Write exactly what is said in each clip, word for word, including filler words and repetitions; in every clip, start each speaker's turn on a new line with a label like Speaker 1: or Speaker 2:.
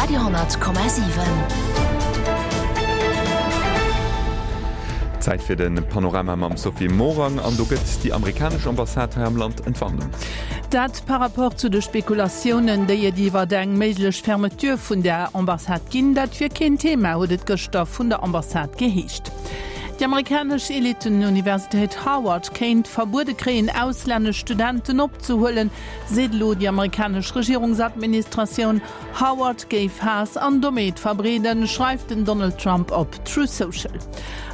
Speaker 1: Radio honnert Komma siwen.
Speaker 2: Zäit fir de Panorama mam Sophie Morang an do gëtt déi amerikanesch Ambassade hei am Land Entwarnung.
Speaker 3: Dat par rapport zu de Spekulatiounen, déi et iwwer eng méiglech Fermeture vun der Ambassade ginn. Dat wier keen Thema, huet et gëschter vun der Ambassade geheescht. Déi amerikanesch Eliten-Universitéit Harvard kéint verbuede kréien, auslännesch Studenten opzehuelen, seet elo déi amerikanesch Regierungsadministratioun. Harvard géif Haass an Dommheet verbreeden, schreift den Donald Trump op Truth Social.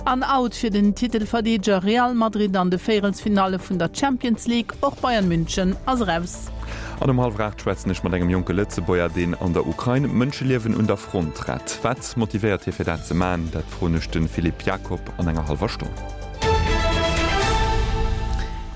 Speaker 3: An out fir den Titelverdeedeger Real Madrid an de Véierelsfinalle vun der Champions League, och Bayern München ass eraus.
Speaker 2: An um hallwer aacht schwätzen ech mat engem jonke Lëtzebuerger, deen an der Ukrain Mënscheliewen un der Front rett. Wat motivéiert hie fir dat ze man? Dat froen ech de Philippe Jacob an enger hallwer Stonn.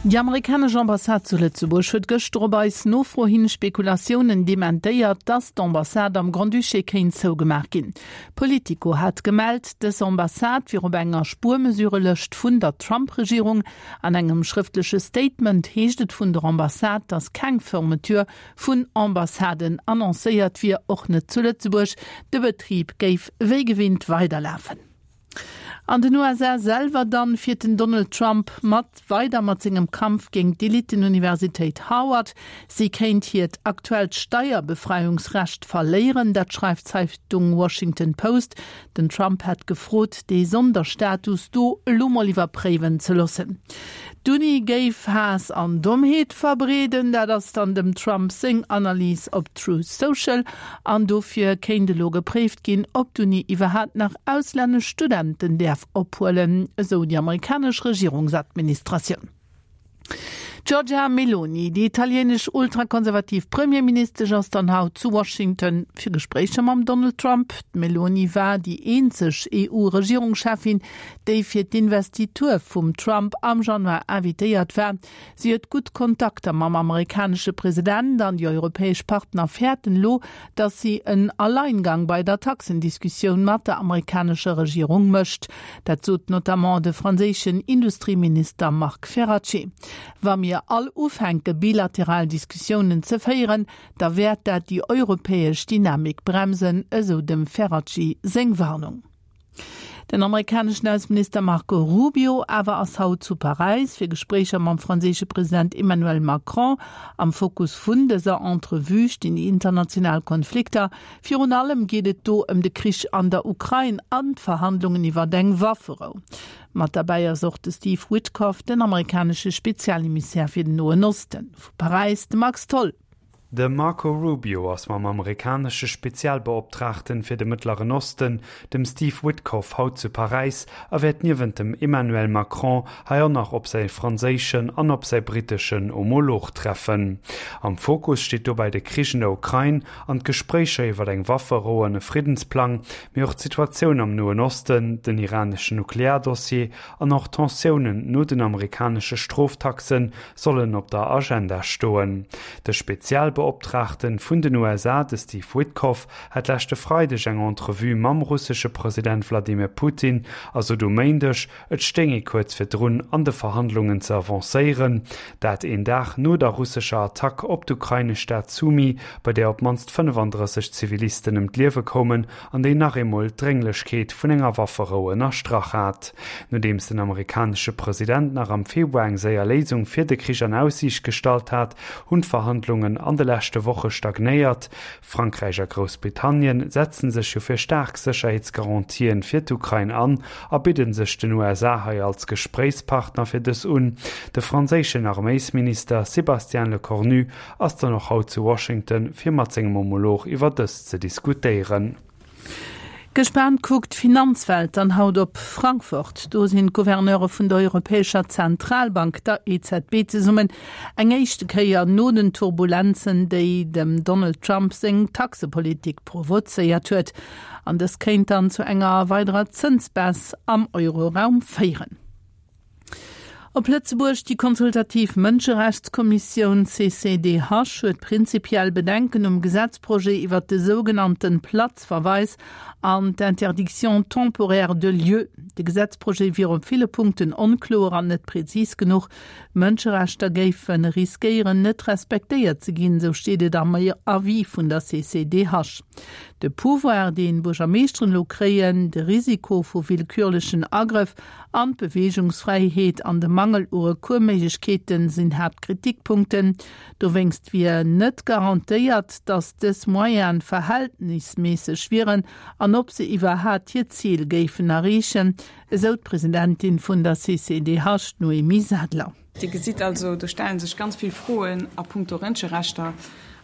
Speaker 3: Déi amerikanesch Ambassade zu Lëtzebuerg huet gëschter op eis Nofro hin Spekulatiounen dementéiert, dass d'Ambassade am Grand-Duché kéint zougemaach ginn. Politico hat gemellt, dës Ambassade wier op enger Spuermesurelëscht vun der Trump-Regierung. An engem schrëftleche Statement heescht et vun der Ambassade, dass keng Fermeture vun Ambassaden annoncéiert wier, och net zu Lëtzebuerg. De Betrib géif wéi gewinnt weiderlafen. An den U S A selwer dann fiert den Donald Trump mat weider mat sengem Kampf géint d'Eliten-Universitéit Harvard. Si kéint hiert aktuellt Steierbefreiungsrecht verléieren, dat schreift d'Zeitung Washington Post. Den Trump hätt gefrot, dee Sonderstatus do elo mol iwwerpréiwen ze loossen. D'Uni géif Haass an Dommheet verbreeden, dat ass dann dem Trump seng Analys op Truth Social. An dofir kéint elo gepréift ginn, ob d'Uni iwwerhaapt nach auslännesch Studenten däerf ophuelen, esou déi amerikanesch Regierungsadministratioun. Giorgia Meloni, déi italienesch ultrakonservativ Premierministesch, ass dann haut zu Washington fir Gespréicher mam Donald Trump. D'Meloni war déi eenzeg E U-Regierungschefin, déi fir d'Investitur vum Trump am Januar invitéiert war. Si huet gutt Kontakter mam amerikanesche President an déi europäesch Partner fäerten elo, datt si en Alleingang bei der Taxendiskussioun mat der amerikanescher Regierung mécht. Dat sot notamment de franséischen Industrieminister Marc Ferracci. Wa mir all ufänke bilateral Diskussiounen ze féieren, da wäert dat déi europäesch Dynamik bremsen, esou dem Ferracci seng Warnung. Den amerikaneschen Ausseminister Marco Rubio awer ass haut zu Paräis fir Gespréicher mam franséische President Emmanuel Macron. Am Fokus vun dëser Entrevue stinn déi international Konflikter. Virun allem geet et do ëm de Krich an der Ukrain an d'Verhandlungen iwwer eng Wafferou. Mat derbäi ass och de Steve Witkoff, den amerikanesche Spezialemissär fir den Noen Osten. Vu Paräis de Max Tholl.
Speaker 4: De Marco Rubio ass mam amerikanesche Spezialbeoptraagten fir de Mëttleren Osten, dem Steve Witkoff, haut zu Paräis a wäert niewent dem Emmanuel Macron hei och nach op säi franséischen an op säi britteschen Homolog treffen. Am Fokus steet dobäi de Krich an der Ukrain an d'Gespréicher iwwer eng Wafferou an e Friedensplang, mee och d'Situatioun am Noen Osten, den iraneschen Nukleardossier an och Tensiounen no den amerikanesche Stroftaxen sollen op der Agenda stoen. De Spezialbeoptraagten vun den U S A, de Steve Witkoff, hat leschte Freideg eng Entrevue mam russesche President Wladimir Putin, also um Méindeg, et stéing ee kuerz virdrun an de Verhandlungen ze avancéieren, dat een Dag no der russescher Attack op d'ukrainesch Stad Sumy, bei der op d'mannst fënnefandrësseg Zivilisten ëm d'Liewe koumen an déi nach eemol d'Drénglechkeet vun enger Wafferou ënnerstrach hat. Nodeems den amerikanesche President nach am Februar eng séier Léisung fir de Krich an Aussiicht gestallt hat, hunn d'Verhandlungen an de leschte Woche stagnéiert. Frankräich a Groussbritannien setzen sech jo fir staark Sécherheetsgarantien fir d'Ukrain an a bidden sech den U S A hei als Gespréichspartner fir dës un. De franséischen Arméisminister Sébastien Lecornu ass dann och haut zu Washington, fir mat sengem Homolog iwwer dës ze diskutéieren.
Speaker 3: Gespaant kuckt d'Finanzwelt dann haut op Frankfurt. Do sinn d'Gouverneure vun der Europäescher Zentralbank, der E Z B, zesummen. Eng éischte Kéier no den Turbulenzen, déi dem Donald Trump seng Taxepolitik provozéiert huet. An dës kéint dann zu enger weiderer Zënsbaisse am Euroraum féieren. Op Lëtzebuerg, Déi consultativ Mënscherechtskommissioun C C D H huet prinzipiell Bedenken um Gesetzprojet iwwer de sougenannten Platzverweis an d'Interdiction temporaire de lieu. De Gesetzprojet wier op ville Punkten onkloer an net präzis genuch. Mënscherechter géife riskéieren, net respektéiert ze ginn, sou steet et am Avis vun der C C D H. De Pouvoir, deen Buergermeeschteren elo kréien, de Risiko vu willkürlechen Agrëff an d'Beweegungsfräiheet an de Mangel u Recoursméiglechkeeten sinn Haaptkritikpunkten. Dowéinst wier net garantéiert, datt dës Moyene verhältnisméisseg wieren an ob se iwwerhaapt hiert Zil géifen erreechen, esou d'Presidentin vun der C C D H, Noémie Sadler.
Speaker 5: Dir gesitt also, do stelle sech ganz vill Froen a punkto Mënscherechter.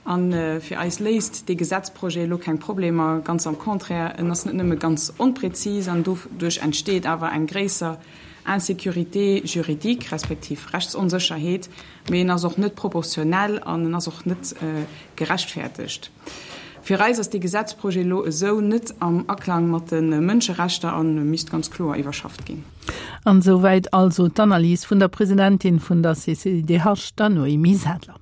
Speaker 5: An fir eis léist dee Gesetzprojet elo keng Problemer, ganz am Contraire, en ass net nëmme ganz onpräzis an doduerch entsteet awer eng gréisser Insécurité juridique respektiv Rechtsonsécherheet, mee en ass och net proportionell an en ass och net gerechtfertegt. Fir eis ass dee Gesetzprojet elo esou net am Aklang mat de Mënscherechter a misst ganz kloer iwwerschafft ginn.
Speaker 3: An souwäit also d'Analys vun der Presidentin vun der C C D H, der Noémie Sadler.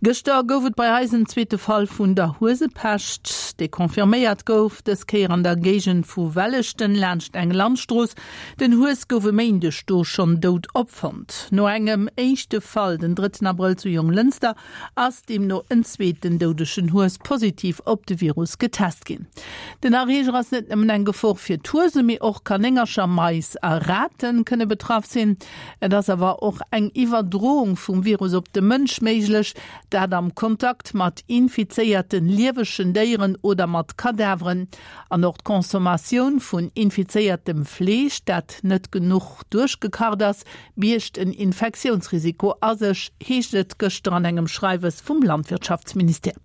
Speaker 3: Gëschter gouf et bei eis en zweete Fall vun der Huesepescht, dee confirméiert gouf, dës Kéier an der Géigend vu Welleschten laanscht eng Landstrooss. Den Hues gouf e Méindeg do schonn dout opfonnt. No engem éischte Fall den drëtten Abrëll zu Jonglënster ass deemno en zweeten doudegen Hues positiv op de Virus getest ginn. Den Erreeger ass net nëmmen eng Gefor fir d'Huesen, mee och Kanéngercher, Mais a Rate kënne betraff sinn. Et ass awer och eng Iwwerdroung vum Virus op de Mënsch méiglech, dat am Kontakt mat infizéierten liewegen Déieren oder mat Kadaveren. An och d'Consommatioun vun infizéiertem Fleesch, dat net genuch duerchgekacht ass, biergt en Infektiounsrisiko a sech, heescht et gëschter an engem Schreiwes vum Landwirtschaftsministère.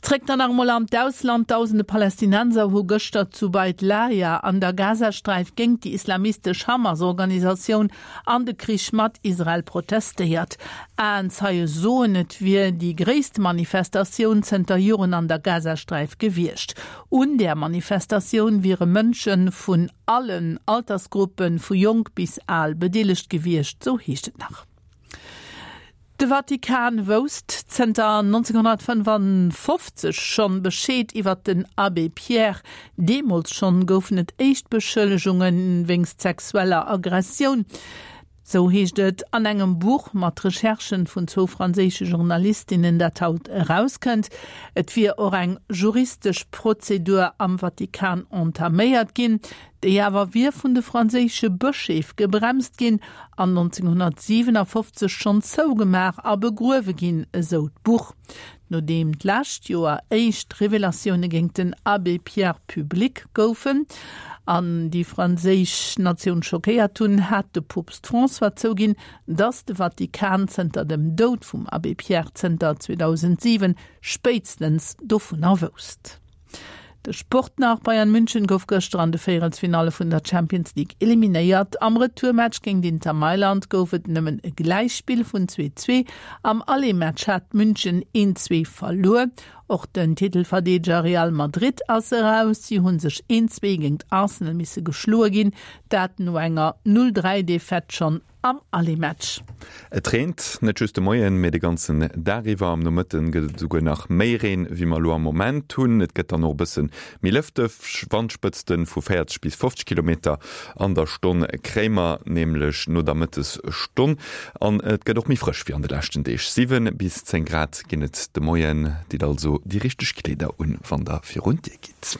Speaker 3: Zréck dann nach emol an d'Ausland. Dausende Palästinenser hu gëschter zu Beit Lahia an der Gazasträif géint déi islamistesch Hamas-Organisatioun an de Krich mat Israel protestéiert. Aenzeie soen, et wier déi gréisst Manifestatioun zënter Joren an der Gazasträif gewiescht. Un där Manifestatioun wiere Mënsche vun allen Altersgruppen, vu jonk bis al bedeelegt gewiescht, sou heescht et nach. De Vatikan wousst zënter nonzénghonnertfënnefofzeg schonn Bescheed iwwer den Abbé Pierre. Deemools schonn goufen et éischt Beschëllegunge wéinst sexueller Aggressioun. Sou heescht et an engem Buch mat Recherchen vun zwou franséische Journalistinnen, dat haut erauskënnt. Et wier och eng juristesch Prozedur am Vatikan entaméiert ginn, déi awer wier vun de franséische Bëscheef gebremst ginn an nonzénghonnertsiwenafofzeg schonn zougemaach a begruewe ginn, esou d'Buch. Nodeem d'lescht Joer éischt Revelatioune géint den Abbé Pierre public goufen an déi franséisch Natioun schockéiert hunn, hat de Poopst François zouginn, datt de Vatikan zënter dem Doud vum Abbé Pierre zënter zweedausentsiwen spéitstens dovunner wousst. De Sport nach, Bayern München gouf gëschter an de Véierelsfinalle vun der Champions League eliminéiert. Am Retourmatch géint Inter Mailand gouf et nëmmen e Gläichspill vun zwee zwee. Am Aller-Match hat München een zwee verluer. Och den Titelverdeedeger Real Madrid ass eraus. Si hu sech een zwee géint Arsenal misse geschloe ginn, dat no enger null dräi Defaite schonn am Aller-Match.
Speaker 2: Et reent net just de Moien, mee de ganzen Dag iwwer. Am Nomëtten gëtt et esouguer nach méi Reen, wéi mer elo am Moment hunn. Et gëtt dann och e bësse méi lëfteg. Wandspëtzte vu véierzeg bis fofzeg Kilometer an der Stonn kréie mer nämlech no der Mëttesstonn. An et gëtt och méi frësch wéi an de leschten Deeg. Siwen bis zéng Grad ginn et de Moien. Ditt also déi richteg Kleeder un, wann der virun d'Dier gitt.